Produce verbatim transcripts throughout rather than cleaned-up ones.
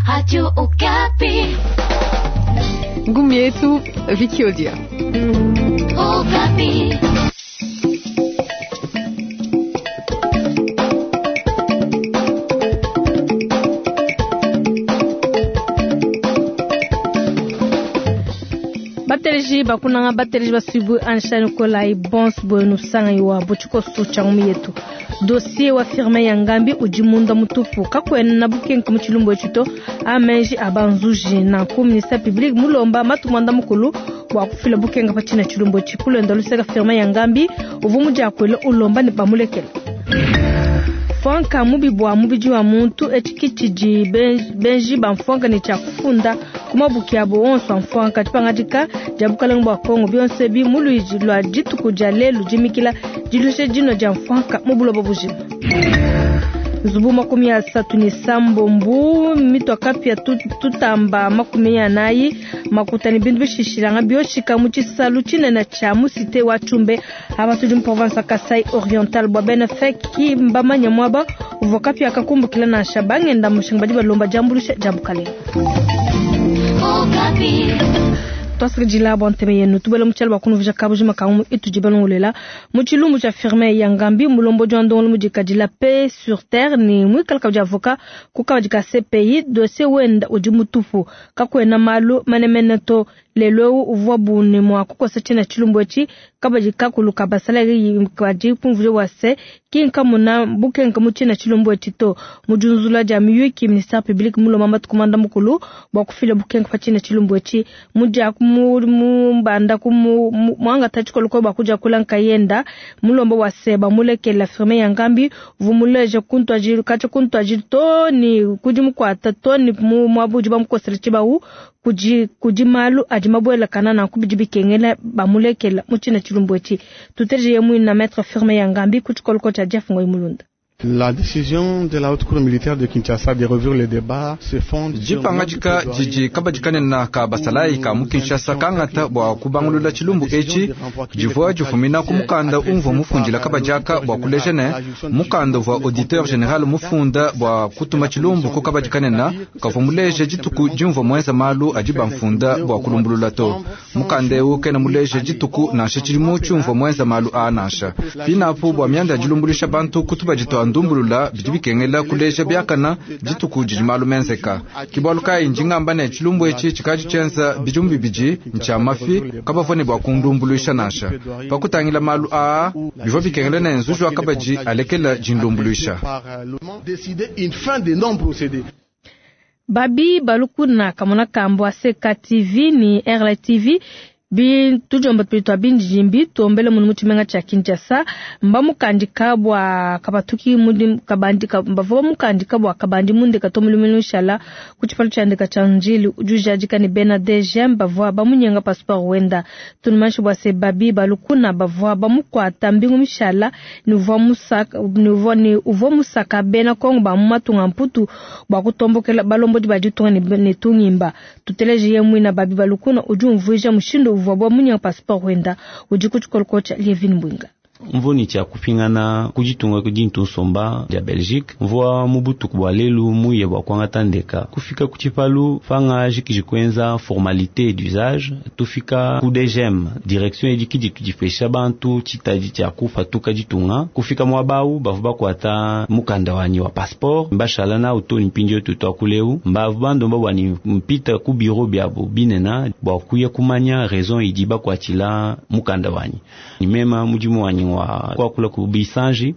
Radio Okapi. Ngumi yetu Vicky Odia. Okapi. Bateleji bakunanga bateleji basuibu Ansha Nikolai Bons Bueno sanga iwa butshikoso tshia ngumi yetu. Dossier wa firme ya Ngambi udi munda mutupu kakwena na bukenke mu tshilumbu etshi amenji abanzuji na ku ministère public mulomba matumanda mukulu bua kufila bukenga pa tshina tshilumbu etshi kulenda luseka firme ya Ngambi uvu mudiakuela ulomba ne bamulekela. Mfuanka mubi bua mubidi wa muntu etshi tshidi benji ba mfuanka ne tshia kufunda ku mabuki abo onso a mfuanka dipangadika dia bukalenge bua Kongo bionso bi mu luidi lua dituku dia lelu dimikila dilushe dino dia mfuanka mu buloba bujima. Nzubu makumi asatu ne sambombu mitwa kapya tutamba makumi anayi makuta ne bintu bishishilanga bioshika mu tshisalu tshinene tshia mu cité wa Tshumbe aba tudi mu province ya Kasai Oriental bua bena feki mbamanya mwaba uvua kapya kakumbukila nansha bangenda mushinga badi balomba diambuluisha dia bukalenge. Twasakidila bua nteme yenu tubele mu tshiala bua kunuvuja kabujima ka itudi balongolela mu tshilumbu tshia firme ya Ngambi mulombo wa ndongolo mudikadila paix sur terre ni mwikala kabidi avocat ku kabadi ka C P I dossier wenda udi mutupu kakwena malu manemene to lelo uvua bune mwa kukosa tshina tshilumbu etshi kabadi kakulu ka basala kadi kumvuje wa se kinka muna bukenka mu tshina tshilumbu etshi to mujunzula dia miyuki ministère public mulomba matukumanda mukulu bua kufila bukenka pa tshina tshilumbu etshi mudia mumbanda ku mwanga tachikolo ba kuja kula nkayenda mulombo wa seba mulekela firme ya Ngambi vumuleje kuntu ajiru kacha kuntu ajiru to ni kudi mukwata to ni mwabuji bamukosela chibawu kuji kuji malu adi mabwela kana na kubidi bikengela bamulekela muchina tshilumbu etshi tuteje yemwe na maître firme ya Ngambi kuchikoloko cha Jeff Ngoy Mulunda. La décision de la haute cour militaire de Kinshasa de rouvrir le débat se fonde dipangadika didi kabadikanena ka basalayi ka mu Kinshasa kangata bua kubangulula tshilumbu etshi divua difumina ku mukanda umvua mufundila kabadiaka bua kuleja ne mukanda uvua auditeur général mufunda bua kutuma tshilumbu ku kabadikanena kavua muleje dituku dimvua muenza malu adi bamfunda bua kulumbulula to mukanda eu kena muleje dituku nansha tshidimu tshiumvua muenza malu a nansha pinapu bua mianda ya dilumbuluisha bantu kutubadi tua ndumbulula bidi bikengela kuleja biakana dituku didi malu menzeka kibwalu kayi ndingamba ne tshilumbu etshi tshikadi tshienza bidimu bibidi ntshia mafi kabavua ne bua kundumbuluisha nansha pakutangila malu aa bivua bikengela ne nzuji wa kabadi alekela dindumbuluisha. Babi Balukuna kamona kambo a C K T V ni R L T V bi tujomba tupitwa bindi tombele munu muchimenga cha Kinshasa mba mukandika bwa kabatuki mudi kabandika mbavo mukandika bwa kabandi munde katomulu shala kuchipalo cha ndeka cha njili ujujajika ni Bena D G M bavwa bamunyenga passeport wenda tunumashi bwa se Babi Balukuna bavwa bamukwata mbingu mishala ni uvwa musaka ni uvwa ni uvwa musaka bena Kongo ba mumatunga mputu bwa kutombokela balombo di baditunga ni, ni tungimba tuteleje yemwina Babi Balukuna ujumvuija mushindo uvwa munyenga passeport wenda udi kuchikoloko cha Lievin Mbwinga. Mvoni tshia kupingana kujitunga kudintu nsomba ya Belgique mvua mubutuku bwa lelu muye bwa kwangata ndeka kufika kuchipalu fanga jikijikwenza formalité d'usage tufika ku D G M direction edikidi tudifesha bantu chitaji tshia kufa tukajitunga kufika mwabau bavu bakwata mukanda wani wa passeport mbashala na utoni mpindio tutwakuleu mbavu bando mbabwani mpita ku bureau byabo binena bwa kuya kumanya raison idiba kwachila mukanda wani ni mema mudimu wani wa kwa kula ku bisanji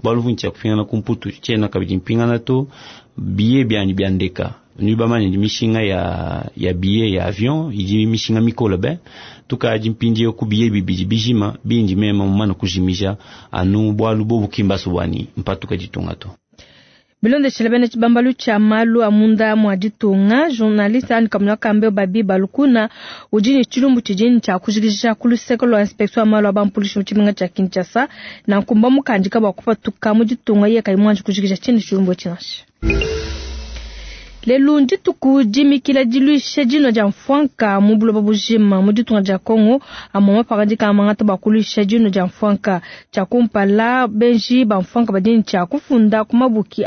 baluvu ntia kupingana kumputu tshena kabidi mpingana to billet byani byandeka nubamanya ndi mishinga ya ya billet ya avion idi mishinga mikolo be tukaji mpindi ku billet bibidi bijima bindi mema mumana kujimija anu bwalu bobu kimbaso bwani mpatuka ditunga to. Bilonde shilebene chibambalu cha malu amunda mwa ditunga journaliste ani kamuna kambe Babi Balukuna ujini chilumbu chijini cha kujikisha kuluseko lwa inspection malu abampulishi mu chimenga cha Kinshasa na nkumba mukandika bwa kupatuka mu ditunga ye kaimwanji kujikisha chini chilumbu chinasha. Lelu ndituku dimikila diluisha dinua dia mfwanka mu buloba bujima mu ditunga dia Kongo amwe mapangadika amangata bua kuluisha dinua dia mfwanka. Tshia kumpala benji ba mfwanka badi tshia kufunda ku mabuki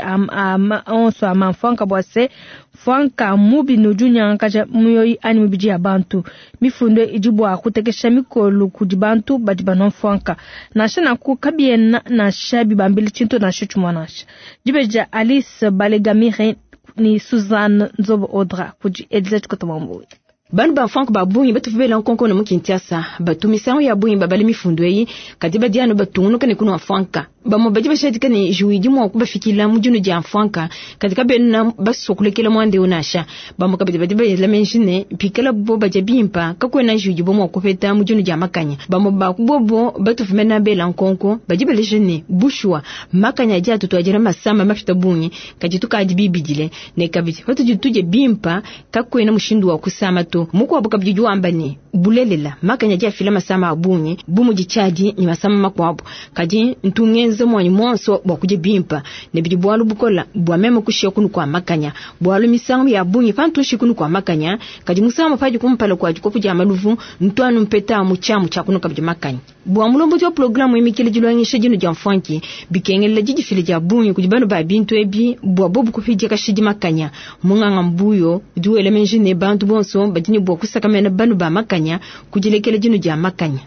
onso a mfwanka bua se mfwanka mubi ne udi unyangakaja mioyo anyi mibidi ya bantu. Mifundo idi bua kutekesha mikolo kudi bantu badi banua mfwanka. Nansha nanku kabiena nansha bibambile tshintu nansha tshimue nansha. Dibeji Alice Balegamire ni Suzanne Nzobo Odra kudi Edith Kotomamboui. Bantu ba mfwanka ba bungi batuvela nkonko na mu Kinshasa batu misangu ya bungi babale mifundo eyi kadi badi anu batungunuka ne kunua mfwanka. Bamwe badi bashadika ne juidi mua kubafikila mu dino dia mfwanka kadi kabena basukulekela mwande unasha. Bamwe kabidi badi bayela menji ne pikala bo baja bimpa kakwena juidi bo mua kupeta mu dino dia makanya. Bamwe bakubobo batuvumena bela nkonko badi baleje ne bushwa makanya dia tutwajira masama mafita bungi kadi tukadi bibidile ne kabidi patudi tuje bimpa kakwena mushindu wa kusama to. Mukwabo kabidi wamba ne bulelela makanya dia fila masama abungi bumu dichadi ni masama makwabo kadi ntungenze mwanyi monso bwa kuje bimpa ne bidi bwalu bukola bwa meme kushia kunu kwa makanya bwalu misangu ya bungi pantu shikunu kwa makanya kadi musama paji kumpala kwa jikopu ja maluvu ntwanu mpeta muchamu cha kunu kabidi makanya bwa mulombo wa programu imikile jilwangisha jino ja mfanki bikengela jijifile ja bungi kujibano ba bintu ebi bwa bobu kufija kashidi makanya munganga mbuyo duele menji ne bantu bonso badini bwa kusakamena banu ba makanya kujilekela jino ja makanya.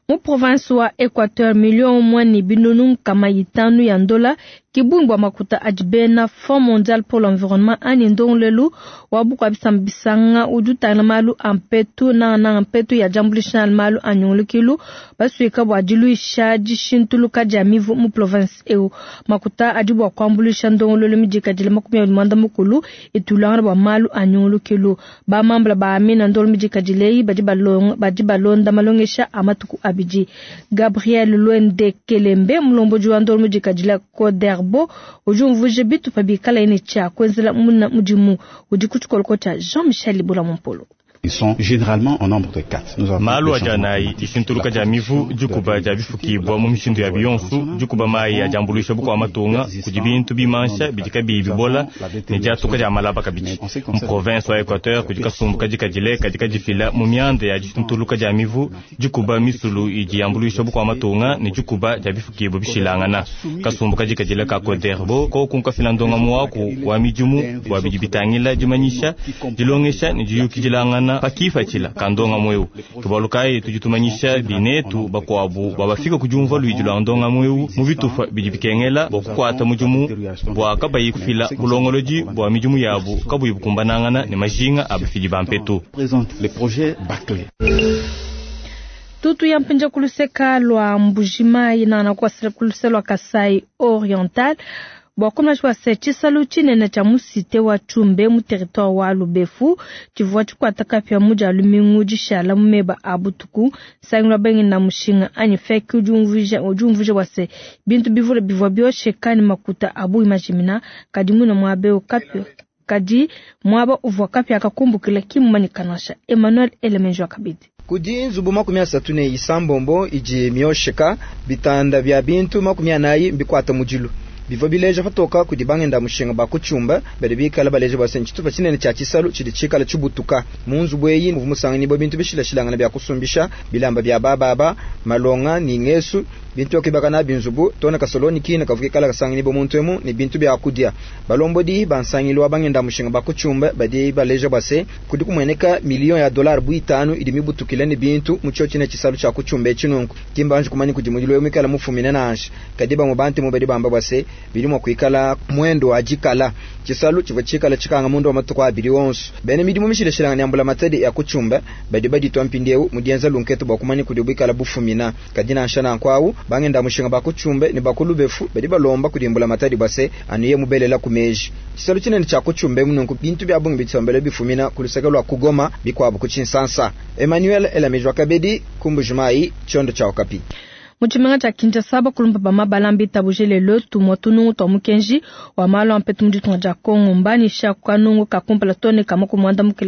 Mu province wa Equateur million mwani binunu kama itanu ya ndola kibungwa makuta adibena Fonds mondial pour l'environnement ani ndonglelu wa bukwa bisambisanga udutana malu ampetu na na ampetu ya jambulisha malu anyungulukilu basuika bwa diluisha dishintuluka dia mivu mu province eu makuta adibwa kwambulisha ndonglelu midika dile makumi abili mwanda mukulu itulanga bwa malu anyungulukilu ba mambla ba amina ndolo midika dilei badi balonga badi balonda malongesha amatuku abidi. Gabriel Luende Kelembe mulomboji wa ndolo midika dile Koder bo ujumvuje bitu pabikala ene cha kwenzela muna mudimu udi kuchikoloko cha Jean-Michel Libula Mompolo. Ils sont généralement en nombre de quatre. Nous avons malu ajanayi dishintuluka dia mivu dikuba dia bifukibwa mu mishindu ya biyonsu dikuba mayi ya diambuluisha bukua matunga kudi bintu bimansha bidi kabiyi bibola ne diatuka dia malaba kabidi. Mu province wa Equateur kudi kasumbu kadi kadile kadi kadifila mu mianda ya dishintuluka dia mivu dikuba misulu idi yambuluisha bukua matunga ne dikuba dia bifukibwa bishilangana. Kasumbu kadi kadile ka Coderbo kokunkafila ndonga muwaku wa midimu bua bidi bitangila dimanyisha dilongesha ne diyukidilangana pakifatshila kandonga mweu tubalukayi tudi tumanyisha binetu bakwabu babafika kudiumva luidi lwa ndonga mweu mu bitufa bidi bikengela bua kukwata mudimu bua kabayi kufila bulongolodi bua midimu yabu kabuyi bukumbanangana ne majinga a bafidi ba mpetu. Tutu ya mpinja kuluseka lwa Mbujimayi na na kuluse lwa Kasai Oriental bua kumna se tshisalu tshinene tshia musite wa Tshumbe mu territoire wa Lubefu tshivua tshikwata kapia mu dia lumingu dishala mu meba a butuku sangilwa bengi na mushinga anyi feki udi umvuija bua se bintu bivule bivua biosheka ne makuta abu imajimina kadi muna muabe kapia kadi muaba uvua kapia kakumbukila kimumanyikana Emmanuel Elemenjo kabidi. Kudi nzubu makumi asatu ne isambombo idi miosheka bitanda bia bintu makumi anayi mbikwata mudilu bivua bileja patoka kudi bangenda mushinga ba kuchumba badi bikala baleja bua se tshitupa tshinene tshia tshisalu tshidi tshikala tshibutuka mu nzubu eyi muvua musanganyibua bintu bishilashilangana bia kusumbisha bilamba bia bababa malonga ni ngesu bintu yakibaka na binzubu tona kasoloni kina kavuke kala kasanganyibua muntu emu ne bintu bia kudia balombodi bansangilo wa bangenda mushinga ba kuchumba badi baleja bua se kudi kumueneka miliyon ya dollar bu itanu idi mibutukile ne bintu mu tshio tshine tshisalu tshia kuchumba etshi nunku kimbanji kumanya kudi mudilo mikala mufumine nansha kadi bamwe bantu mu badi bamba bua se bili mwa kuikala mwendo wa jikala chisalu chivua chikala chikanga mundu wa matuku abili wonso bene midimu mishilashilanga nyambula matedi ya kuchumba badi baditwa mpindiewu mudienza lunketo bua kumanya kudi bwikala bufumina kadi nansha nankwawu bangenda mushinga bakuchumbe ne bakulubefu badi balomba kudimbula matadi bua se anuye mubelela ku meji chisalu chinene cha kuchumbe mununku bintu bya bungi bitsombele bifumina kuluseke lwa kugoma bikwabu kuchinsansa Emmanuel Elamejwa Kabedi kumbujumai chondo cha Okapi. Mu tshimenga tshia Kinshasa, bakulumpa ba mabala mbitabuje lelo tumua tunungu tua mukenji wa malu a mpetu mu ditunga dia Kongo. Mbanyisha kanungu ka kumpala too ne ka makumi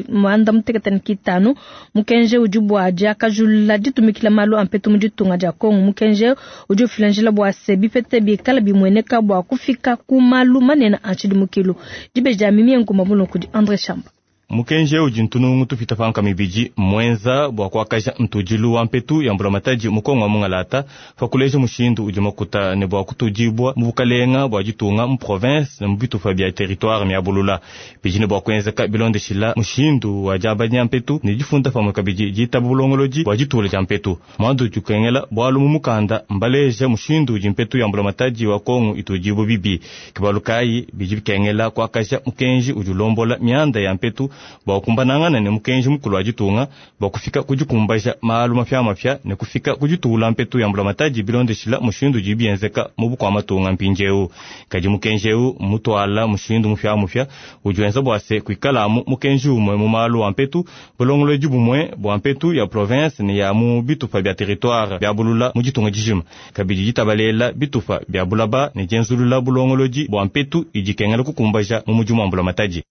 muanda mutekete ne kitanu. Mukenji udi bua diakajulula ditumikila malu a mpetu mu ditunga dia Kongo. Mukenji udi ufila njila bua se bipete bikala bimueneka bua kufika ku malu manene a tshidimukilu. Dibeji dia Mimie Nkumba Mulongo kudi André Chamba. Mukenji udi ntunungu tupita panka mibidi mwenza bua kuakaja ntudilu wa mpetu ya mbulamatadi mu Kongo wa mungalata pakuleja mushindu udi makuta ne bua kutudibua mu bukalenga bua ditunga mu province ne mu bitupa bia territoire miabulula. Bidi ne bua kuenzeka bilondeshila mushindu wa diabanya mpetu ne difunda pamue kabidi ditaba bulongolodi bua ditula dia mpetu. Mwandu udi ukengela bualu mu mukanda mbaleja mushindu udi mpetu ya mbulamatadi wa Kongo itudibua bibi. Kibalu kayi bidi bikengela kuakaja mukenji udi ulombola mianda ya mpetu bua kumbanangana ne mukenji mukulu wa ditunga bua kufika kudikumbaja malu mapya mapya ne kufika kuditula mpetu ya mbulamatadi bilondeshila mushindu udi bienzeka mu bukua matunga mpindieu. Kadi mukenji eu mutwala mushindu mupya mupya udi wenza bua se kuikalamu mukenji umue mu malu wa mpetu bulongolodi bumue bua mpetu ya province ne ya mu bitupa bia territoire bia bulula mu ditunga dijima. Kabidi ditabalela bitupa bia bulaba ne dienzulula bulongolodi bua mpetu idi kengela kukumbaja mu mudimu wa mbulamatadi.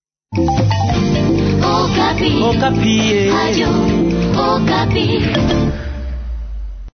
Okapi. Okapi. Radio Okapi.